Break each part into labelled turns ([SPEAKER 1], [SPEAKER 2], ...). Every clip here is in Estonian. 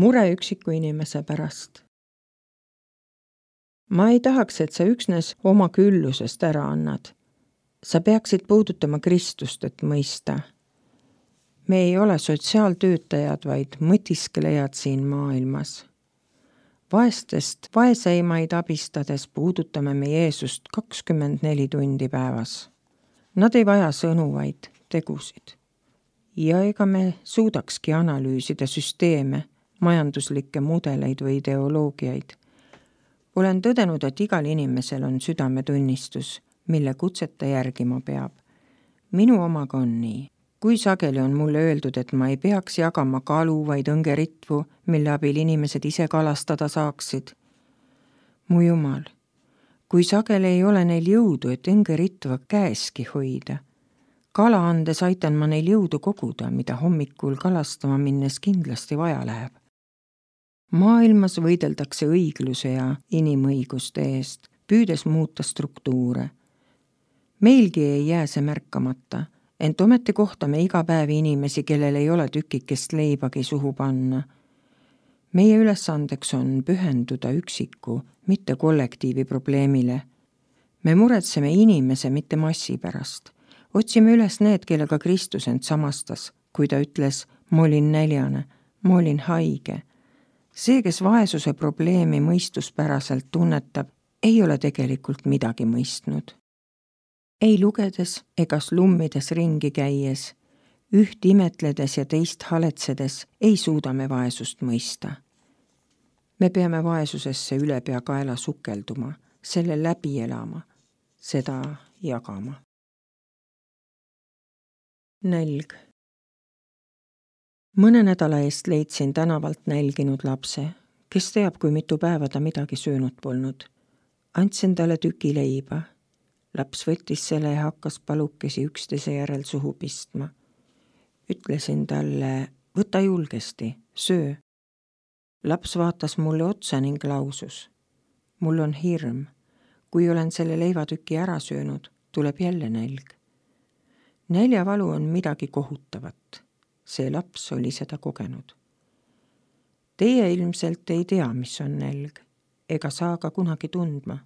[SPEAKER 1] Mure üksiku inimese pärast. Ma ei tahaks, et sa üksnes oma küllusest ära annad. Sa peaksid puudutama Kristust, et mõista. Me ei ole sotsiaaltöötajad, vaid mõtiskelejad siin maailmas. Vaestest vaeseimaid abistades puudutame me Jeesust 24 tundi päevas. Nad ei vaja sõnu, vaid tegusid. Ja ega me suudakski analüüsida süsteeme, majanduslikke mudeleid või ideoloogiaid. Olen tõdenud, et igal inimesel on südametunnistus, mille kutseta järgima peab. Minu omaga on nii. Kui sageli on mulle öeldud, et ma ei peaks jagama kalu, vaid õngeritvu, mille abil inimesed ise kalastada saaksid. Mu Jumal, kui sageli ei ole neil jõudu, et õngeritva käeski hoida. Kala andes aitan ma neil jõudu koguda, mida hommikul kalastama minnes kindlasti vaja läheb. Maailmas võideldakse õigluse ja inimõiguste eest, püüdes muuta struktuure. Meilgi ei jää see märkamata, ent ometi kohtame iga päev inimesi, kellel ei ole tükikest leibagi suhu panna. Meie ülesandeks on pühenduda üksiku, mitte kollektiivi probleemile. Me muretseme inimese, mitte massi pärast. Otsime üles need, kellega Kristus end samastas, kui ta ütles, ma olin näljane, ma olin haige. See, kes vaesuse probleemi mõistuspäraselt tunnetab, ei ole tegelikult midagi mõistnud. Ei lugedes ega slummides ringi käies, üht imetledes ja teist haletsedes ei suuda me vaesust mõista. Me peame vaesusesse ülepea kaela sukelduma, selle läbi elama, seda jagama. Nälg. Mõne nädala eest leidsin tänavalt nälginud lapse, kes teab, kui mitu päeva ta midagi söönud polnud. Andsin talle tüki leiba. Laps võttis selle ja hakkas palukesi üksteise järel suhu pistma. Ütlesin talle, võta julgesti, söö. Laps vaatas mulle otsa ning lausus. Mul on hirm. Kui olen selle leivatüki ära söönud, tuleb jälle nälg. Näljavalu on midagi kohutavat. See laps oli seda kogenud. Teie ilmselt ei tea, mis on nälg, ega saa ka kunagi tundma,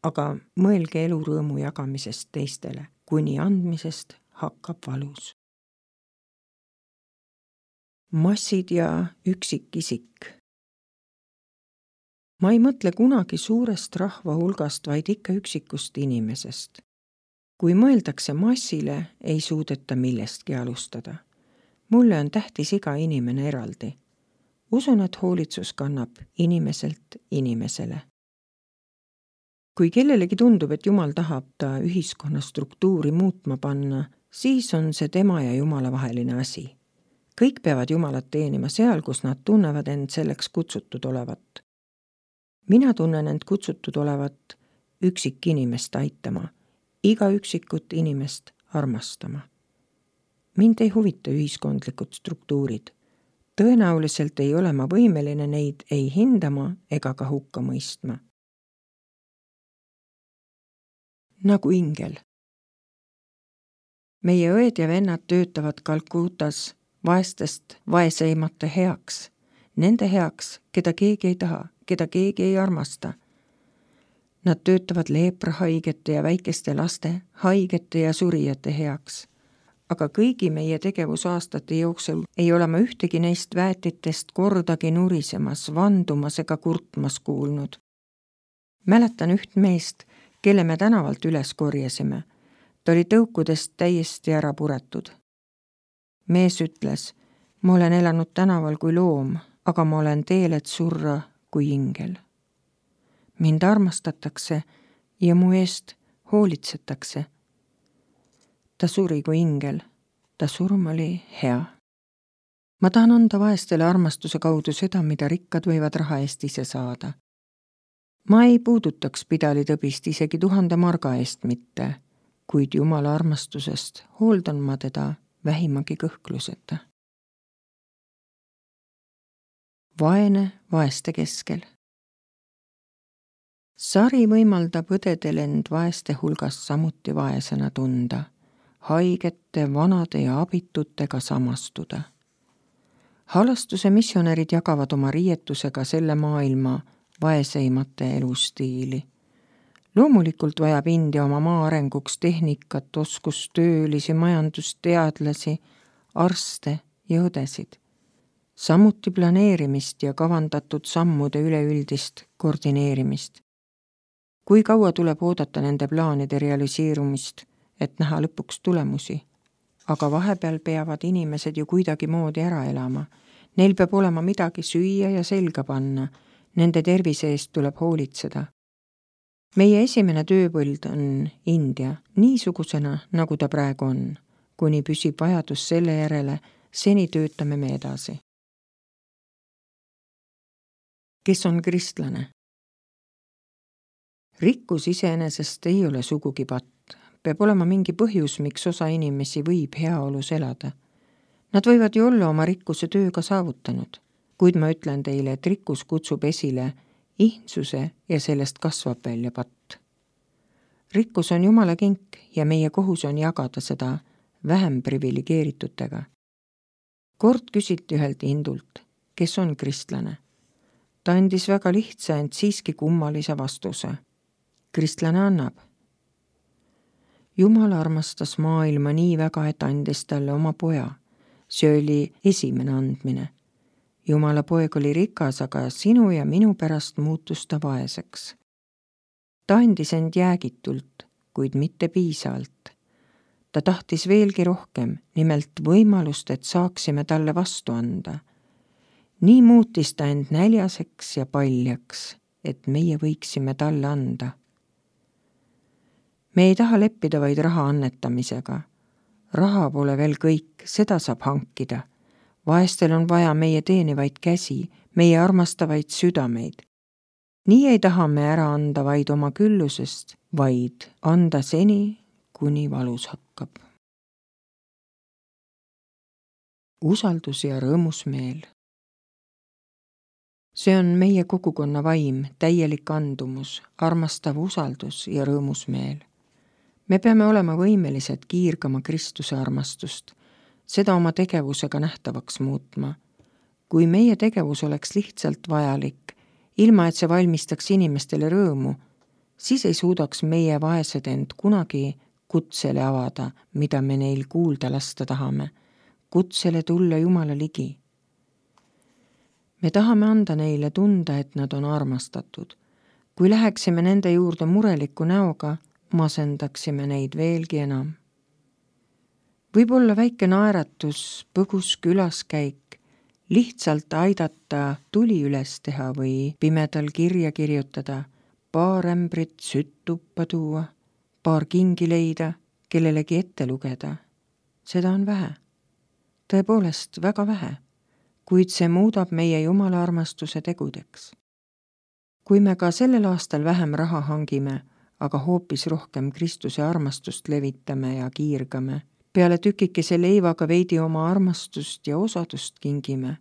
[SPEAKER 1] aga mõelge elurõõmu jagamisest teistele, kuni andmisest hakkab valus. Massid ja üksikisik. Ma ei mõtle kunagi suurest rahva hulgast, vaid ikka üksikust inimesest. Kui mõeldakse massile, ei suudeta millestki alustada. Mulle on tähtis iga inimene eraldi. Usun, et hoolitsus kannab inimeselt inimesele. Kui kellelegi tundub, et Jumal tahab ta ühiskonna struktuuri muutma panna, siis on see tema ja Jumala vaheline asi. Kõik peavad Jumalat teenima seal, kus nad tunnevad end selleks kutsutud olevat. Mina tunnen end kutsutud olevat üksik inimest aitama, iga üksikut inimest armastama. Mind ei huvita ühiskondlikud struktuurid. Tõenäoliselt ei ole ma võimeline neid ei hindama ega ka hukka mõistma. Nagu ingel. Meie õed ja vennad töötavad Kalkutas vaestest vaeseimate heaks, nende heaks, keda keegi ei taha, keda keegi ei armasta. Nad töötavad leeprahaigete ja väikeste laste, haigete ja surijate heaks. Aga kõigi meie tegevusaastate jooksul ei ole ma ühtegi neist väetitest kordagi nurisemas, vandumas ega kurtmas kuulnud. Mäletan üht meest, kelle me tänavalt üles korjasime. Ta oli tõukudest täiesti ära puretud. Mees ütles, ma olen elanud tänaval kui loom, aga ma olen teel, et surra kui ingel. Mind armastatakse ja mu eest hoolitsetakse. Ta suri kui ingel, ta surm oli hea. Ma tahan anda vaestele armastuse kaudu seda, mida rikkad võivad raha eest ise saada. Ma ei puudutaks pidalitõbist isegi 1000 marga eest mitte, kuid Jumala armastusest hooldan ma teda vähimagi kõhkluseta. Vaene vaeste keskel. Sari võimaldab õdedel end vaeste hulgas samuti vaesena tunda, haigete, vanade ja abitutega samastuda. Halastuse missionärid jagavad oma riietusega selle maailma vaeseimate elustiili. Loomulikult vajab India oma maa arenguks tehnikat, oskustöölisi, majandusteadlasi, arste ja õdesid. Samuti planeerimist ja kavandatud sammude üleüldist koordineerimist. Kui kaua tuleb oodata nende plaanide realiseerumist, et näha lõpuks tulemusi? Aga vahepeal peavad inimesed ju kuidagi moodi ära elama. Neil peab olema midagi süüa ja selga panna. Nende tervise eest tuleb hoolitseda. Meie esimene tööpõld on India, niisugusena, nagu ta praegu on. Kuni püsib vajadus selle järele, seni töötame me edasi. Kes on kristlane? Rikkus iseenesest ei ole sugugi patt. Peab olema mingi põhjus, miks osa inimesi võib heaolus elada. Nad võivad ju olla oma rikkuse tööga saavutanud, kuid ma ütlen teile, et rikkus kutsub esile ihnsuse ja sellest kasvab välja patt. Rikkus on Jumala kink ja meie kohus on jagada seda vähem priviligeeritutega. Kord küsiti ühelt hindult, kes on kristlane. Ta andis väga lihtsa, ent siiski kummalise vastuse. Kristlane annab. Jumal armastas maailma nii väga, et andis talle oma poja. See oli esimene andmine. Jumala poeg oli rikas, aga sinu ja minu pärast muutus ta vaeseks. Ta andis end jäägitult, kuid mitte piisavalt. Ta tahtis veelgi rohkem, nimelt võimalust, et saaksime talle vastu anda. Nii muutis ta end näljaseks ja paljaks, et meie võiksime talle anda. Me ei taha leppida vaid raha annetamisega. Raha pole veel kõik, seda saab hankida. Vaestel on vaja meie teenivaid käsi, meie armastavaid südameid. Nii ei taha me ära anda vaid oma küllusest, vaid anda seni, kuni valus hakkab. Usaldus ja rõõmus meel. See on meie kogukonna vaim, täielik andumus, armastav usaldus ja rõõmus meel. Me peame olema võimelised kiirgama Kristuse armastust, seda oma tegevusega nähtavaks muutma. Kui meie tegevus oleks lihtsalt vajalik, ilma et see valmistaks inimestele rõõmu, siis ei suudaks meie vaesed end kunagi kutsele avada, mida me neil kuulda lasta tahame, kutsele tulla Jumala ligi. Me tahame anda neile tunda, et nad on armastatud. Kui läheksime nende juurde mureliku näoga, masendaksime neid veelgi enam. Võib olla väike naeratus, põgus külaskäik, lihtsalt aidata tuli üles teha või pimedal kirja kirjutada, paar ämbrit sütt tuppa tuua, paar kingi leida, kellelegi ette lugeda. Seda on vähe. Tõepoolest väga vähe, kuid see muudab meie Jumala armastuse tegudeks. Kui me ka sellel aastal vähem raha hangime, aga hoopis rohkem Kristuse armastust levitame ja kiirgame, peale tükikese leivaga veidi oma armastust ja osadust kingime,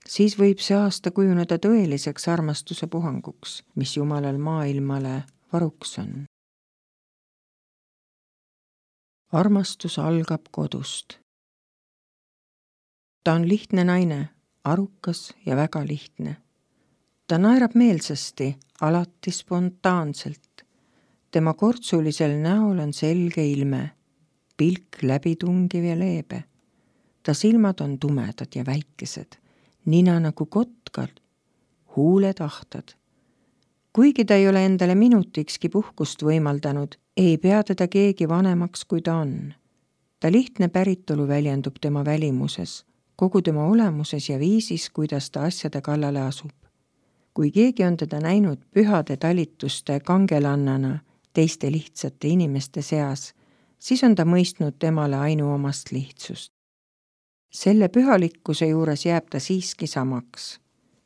[SPEAKER 1] siis võib see aasta kujuneda tõeliseks armastuse puhanguks, mis Jumalal maailmale varuks on. Armastus algab kodust. Ta on lihtne naine, arukas ja väga lihtne. Ta naerab meelsasti, alati spontaanselt. Tema kortsulisel näol on selge ilme, pilk läbitungiv ja leebe. Ta silmad on tumedad ja väikesed, nina nagu kotkal, huuled ahtad. Kuigi ta ei ole endale minutikski puhkust võimaldanud, ei pea teda keegi vanemaks, kui ta on. Ta lihtne päritolu väljendub tema välimuses, kogu tema olemuses ja viisis, kuidas ta asjade kallale asub. Kui keegi on teda näinud pühade talituste kangelannana, teiste lihtsate inimeste seas, siis on ta mõistnud temale ainuomast lihtsust. Selle pühalikkuse juures jääb ta siiski samaks,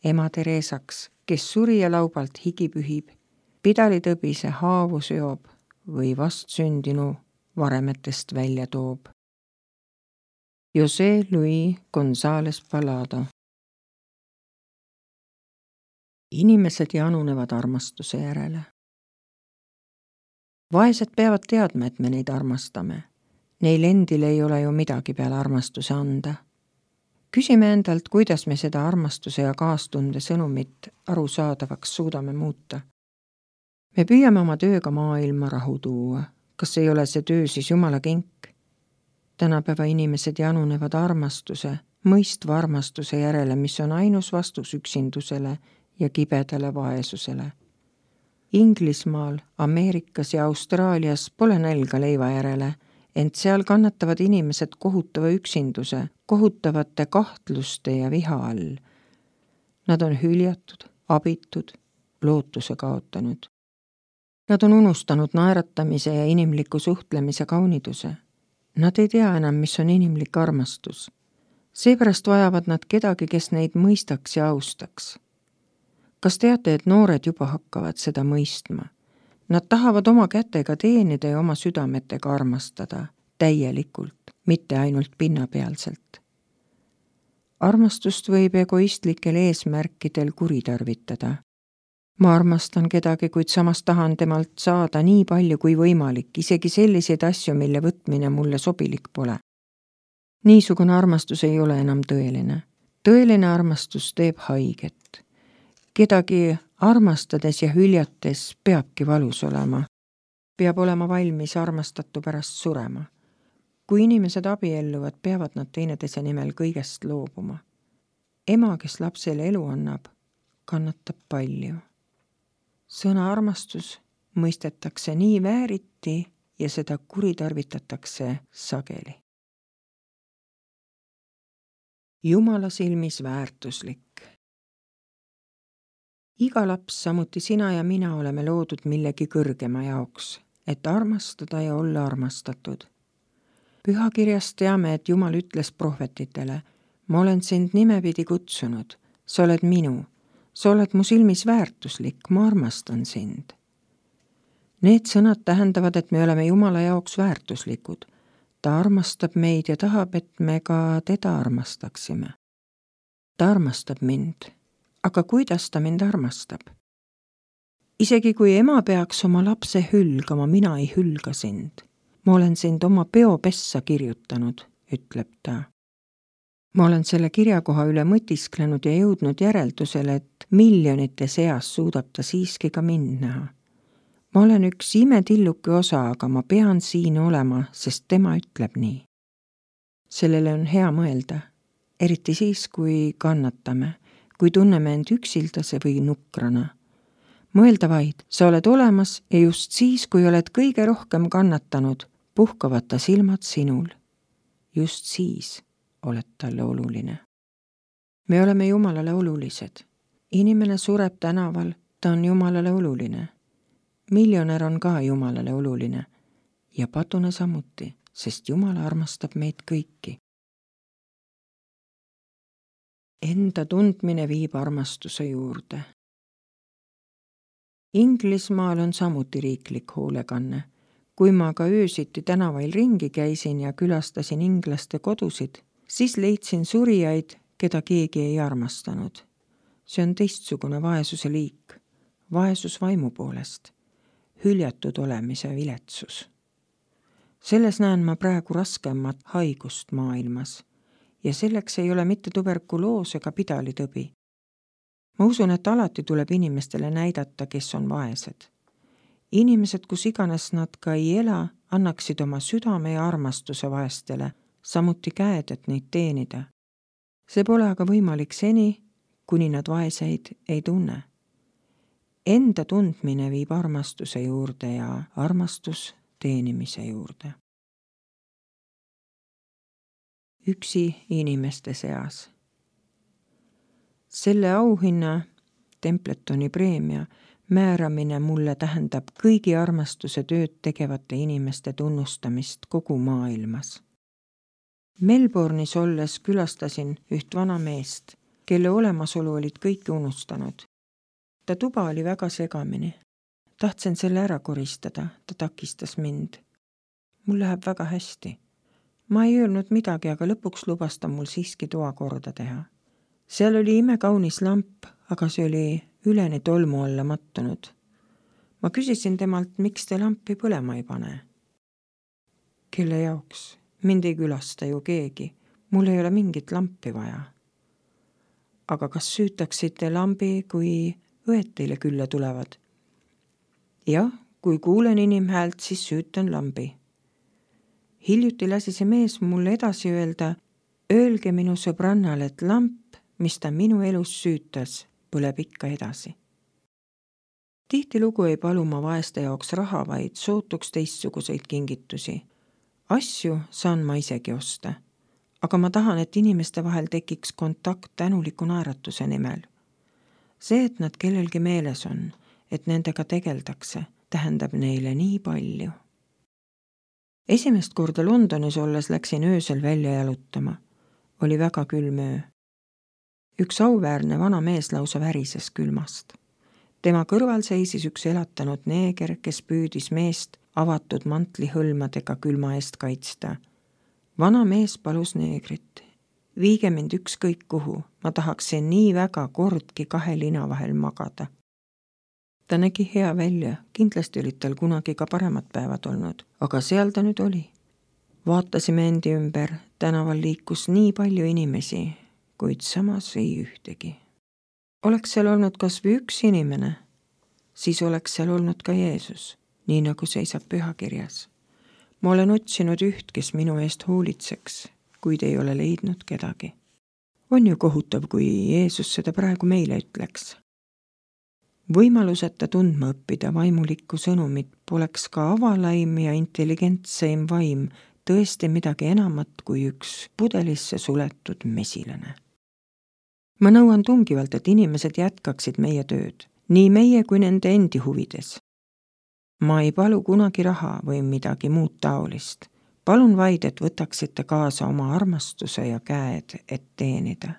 [SPEAKER 1] ema Teresaks, kes surijalaubalt higi pühib, pidalitõbise haavu seob või vastsündinu varemetest välja toob. José Luis González Palado. Inimesed janunevad armastuse järele. Vaesed peavad teadma, et me neid armastame. Neil endil ei ole ju midagi peale armastuse anda. Küsime endalt, kuidas me seda armastuse ja kaastunde sõnumit arusaadavaks suudame muuta. Me püüame oma tööga maailma rahu tuua. Kas ei ole see töö siis Jumala kink? Tänapäeva inimesed janunevad armastuse, mõistva armastuse järele, mis on ainus vastus üksindusele ja kibedale vaesusele. Inglismaal, Ameerikas ja Austraalias pole nälga leiva järele, ent seal kannatavad inimesed kohutava üksinduse, kohutavate kahtluste ja viha all. Nad on hüljatud, abitud, lootuse kaotanud. Nad on unustanud naeratamise ja inimliku suhtlemise kauniduse. Nad ei tea enam, mis on inimlik armastus. Seepärast vajavad nad kedagi, kes neid mõistaks ja austaks. Kas teate, et noored juba hakkavad seda mõistma? Nad tahavad oma kätega teenida ja oma südametega armastada, täielikult, mitte ainult pinnapealselt. Armastust võib egoistlikel eesmärkidel kuritarvitada. Ma armastan kedagi, kuid samas tahan temalt saada nii palju kui võimalik, isegi selliseid asju, mille võtmine mulle sobilik pole. Niisugune armastus ei ole enam tõeline. Tõeline armastus teeb haiget. Kedagi armastades ja hüljates peabki valus olema. Peab olema valmis armastatu pärast surema. Kui inimesed abielluvad, peavad nad teineteise nimel kõigest loobuma. Ema, kes lapsele elu annab, kannatab palju. Sõna armastus mõistetakse nii vääriti ja seda kuritarvitatakse sageli. Jumala silmis väärtuslik. Iga laps, samuti sina ja mina oleme loodud millegi kõrgema jaoks, et armastada ja olla armastatud. Pühakirjast teame, et Jumal ütles prohvetitele, ma olen sind nimepidi kutsunud, sa oled minu, sa oled mu silmis väärtuslik, ma armastan sind. Need sõnad tähendavad, et me oleme Jumala jaoks väärtuslikud. Ta armastab meid ja tahab, et me ka teda armastaksime. Ta armastab mind. Aga kuidas ta mind armastab? Isegi kui ema peaks oma lapse hülgama, mina ei hülga sind. Ma olen sind oma peopessa kirjutanud, ütleb ta. Ma olen selle kirjakoha üle mõtisklenud ja jõudnud järeldusele, et miljonite seas suudab ta siiski ka mind näha. Ma olen üks imetilluke osa, aga ma pean siin olema, sest tema ütleb nii. Sellele on hea mõelda, eriti siis, kui kannatame, kui tunneme end üksildase või nukrana. Mõelda vaid, sa oled olemas ja just siis, kui oled kõige rohkem kannatanud, puhkavad ta silmad sinul. Just siis oled talle oluline. Me oleme Jumalale olulised. Inimene sureb tänaval, ta on Jumalale oluline. Miljonär on ka Jumalale oluline ja padune samuti, sest Jumal armastab meid kõiki. Enda tundmine viib armastuse juurde. Inglismaal on samuti riiklik hoolekanne. Kui ma ka öösiti tänavail ringi käisin ja külastasin inglaste kodusid, siis leidsin surijaid, keda keegi ei armastanud. See on teistsugune vaesuse liik, vaesus vaimu poolest, hüljatud olemise viletsus. Selles näen ma praegu raskemat haigust maailmas ja selleks ei ole mitte tuberkuloos ega pidalitõbi. Ma usun, et alati tuleb inimestele näidata, kes on vaesed. Inimesed, kus iganes nad ka ei ela, annaksid oma südame ja armastuse vaestele, samuti käed, et neid teenida. See pole aga võimalik seni, kuni nad vaeseid ei tunne. Enda tundmine viib armastuse juurde ja armastus teenimise juurde. Üksi inimeste seas. Selle auhinna, Templetoni preemia, määramine mulle tähendab kõigi armastuse tööd tegevate inimeste tunnustamist kogu maailmas. Melbourne'is olles külastasin üht vana meest, kelle olemasolu olid kõik unustanud. Ta tuba oli väga segamini. Tahtsin selle ära koristada, ta takistas mind. Mul läheb väga hästi. Ma ei öelnud midagi, aga lõpuks lubas ta mul siiski toa korda teha. Seal oli imekaunis lamp, aga see oli üleni tolmu alla mattunud. Ma küsisin temalt, miks te lampi põlema ei pane. Kelle jaoks? Mind ei külasta ju keegi. mul ei ole mingit lampi vaja. Aga kas süütaksite lambi, kui õed teile külla tulevad? Jah, kui kuulen inimhäält, siis süütan lambi. Hiljuti lasi see mees mulle edasi öelda, öelge minu sõbrannal, et lamp, mis ta minu elus süütas, põleb ikka edasi. Tihtilugu ei palu ma vaeste jaoks raha, vaid sootuks teistsuguseid kingitusi. Asju saan ma isegi osta, aga ma tahan, et inimeste vahel tekiks kontakt tänuliku naeratuse nimel. See, et nad kellelgi meeles on, et nendega tegeldakse, tähendab neile nii palju. Esimest korda Londonis olles läksin öösel välja jalutama. Oli väga külm öö. Üks auväärne vana mees lausa värises külmast. Tema kõrval seisis üks elatanud neeger, kes püüdis meest avatud mantlihõlmadega külma eest kaitsta. Vana mees palus neegrit. Viige mind ükskõik kuhu, ma tahaksin nii väga kordki 2 lina vahel magada. Ta nägi hea välja, kindlasti olid tal kunagi ka paremad päevad olnud, aga seal ta nüüd oli. Vaatasime endi ümber, tänaval liikus nii palju inimesi, kuid samas ei ühtegi. Oleks seal olnud kas või üks inimene, siis oleks seal olnud ka Jeesus, nii nagu seisab pühakirjas. Ma olen otsinud üht, kes minu eest hoolitseks, kuid ei ole leidnud kedagi. On ju kohutav, kui Jeesus seda praegu meile ütleks. Võimaluseta tundma õppida vaimulikku sõnumit poleks ka avalaim ja intelligentseim vaim tõesti midagi enamat kui üks pudelisse suletud mesilane. Ma nõuan tungivalt, et inimesed jätkaksid meie tööd, nii meie kui nende endi huvides. Ma ei palu kunagi raha või midagi muud taolist. Palun vaid, et võtaksite kaasa oma armastuse ja käed, et teenida.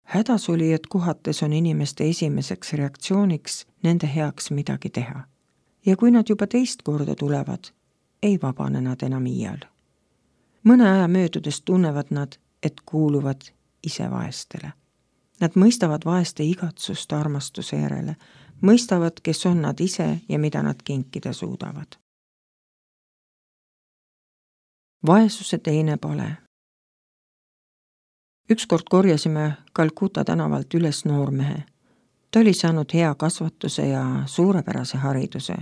[SPEAKER 1] Hädas oli, et kohates on inimeste esimeseks reaktsiooniks nende heaks midagi teha. Ja kui nad juba teist korda tulevad, ei vabane nad enam iial. Mõne aja möödudes tunnevad nad, et kuuluvad ise vaestele. Nad mõistavad vaeste igatsust armastuse järele, mõistavad, kes on nad ise ja mida nad kinkida suudavad. Vaesuse teine pale. Ükskord korjasime Calcutta tänavalt üles noormehe. Ta oli saanud hea kasvatuse ja suurepärase hariduse.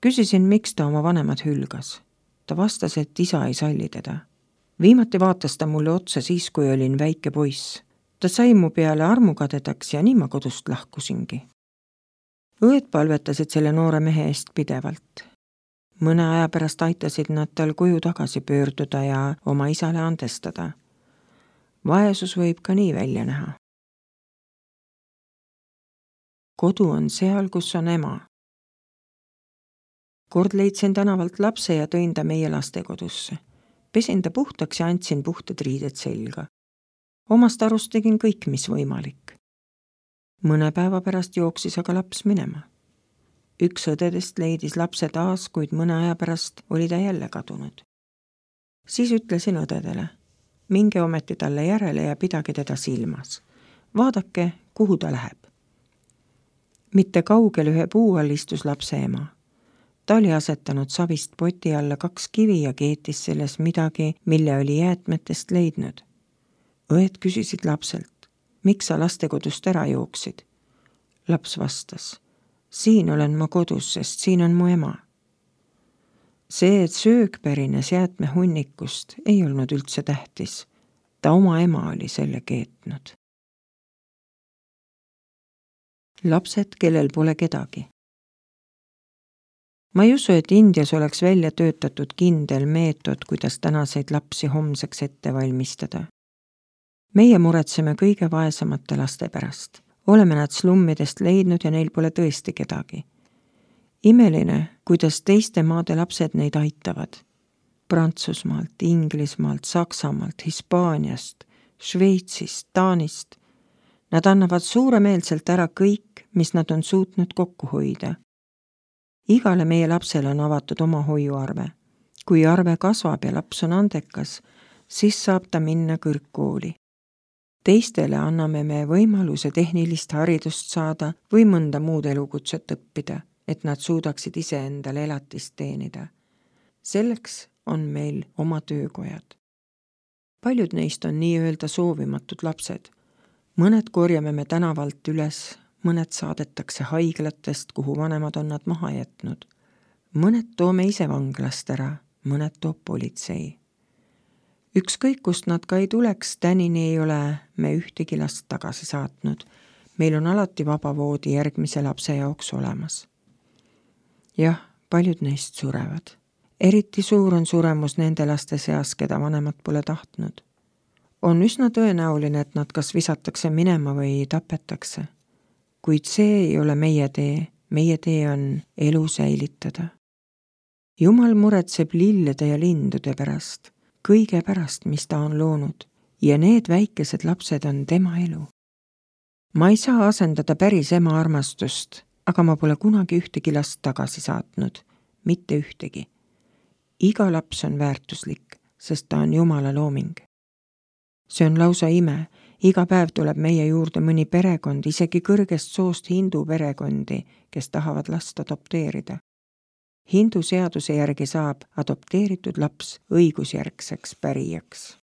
[SPEAKER 1] Küsisin, miks ta oma vanemad hülgas. Ta vastas, et isa ei salli teda. Viimati vaatas ta mulle otsa siis, kui olin väike poiss. Ta sai mu peale armukadedaks ja nii ma kodust lahkusingi. Õed palvetasid selle noore mehe eest pidevalt. Mõne aja pärast aitasid nad tal koju tagasi pöörduda ja oma isale andestada. Vaesus võib ka nii välja näha. Kodu on seal, kus on ema. Kord leidsin tänavalt lapse ja tõin ta meie lastekodusse. Pesin ta puhtaks ja andsin puhtad riided selga. Omast arust tegin kõik, mis võimalik. Mõne päeva pärast jooksis aga laps minema. Üks õdedest leidis lapse taas, kuid mõne aja pärast oli ta jälle kadunud. Siis ütlesin õdedele, minge ometi talle järele ja pidage teda silmas. Vaadake, kuhu ta läheb. Mitte kaugel ühe puu all istus lapse ema. Ta oli asetanud savist poti alla 2 kivi ja keetis selles midagi, mille oli jäätmetest leidnud. Õed küsisid lapselt, miks sa lastekodust ära jooksid? Laps vastas, siin olen ma kodus, sest siin on mu ema. See, et söög pärines jäätmehunnikust, ei olnud üldse tähtis. Ta oma ema oli selle keetnud. Lapsed, kellel pole kedagi. Ma ei usu, et Indias oleks välja töötatud kindel meetod, kuidas tänaseid lapsi homseks ette valmistada. Meie muretseme kõige vaesemate laste pärast. Oleme nad slummidest leidnud ja neil pole tõesti kedagi. Imeline, kuidas teiste maade lapsed neid aitavad. Prantsusmaalt, Inglismaalt, Saksamaalt, Hispaaniast, Šveitsist, Taanist. Nad annavad suuremeelselt ära kõik, mis nad on suutnud kokku hoida. Igale meie lapsele on avatud oma hoiuarve. Kui arve kasvab ja laps on andekas, siis saab ta minna kõrgkooli. Teistele anname me võimaluse tehnilist haridust saada või mõnda muud elukutset õppida, et nad suudaksid ise endale elatist teenida. Selleks on meil oma töökojad. Paljud neist on nii-öelda soovimatud lapsed. Mõned korjame me tänavalt üles, mõned saadetakse haiglatest, kuhu vanemad on nad maha jätnud. Mõned toome ise vanglast ära, mõned toob politsei. Ükskõik, kust nad ka ei tuleks, tänini ei ole me ühtegi last tagasi saatnud. Meil on alati vaba voodi järgmise lapse jaoks olemas. Jah, paljud neist surevad. Eriti suur on suremus nende laste seas, keda vanemad pole tahtnud. On üsna tõenäoline, et nad kas visatakse minema või tapetakse. Kuid see ei ole meie tee on elu säilitada. Jumal muretseb lillede ja lindude pärast, kõige pärast, mis ta on loonud, ja need väikesed lapsed on tema elu. Ma ei saa asendada päris ema armastust, aga ma pole kunagi ühtegi last tagasi saatnud, mitte ühtegi. Iga laps on väärtuslik, sest ta on Jumala looming. See on lausa ime, iga päev tuleb meie juurde mõni perekond, isegi kõrgest soost hindu perekondi, kes tahavad last adopteerida. Hindu seaduse järgi saab adopteeritud laps õigusjärgseks pärijaks.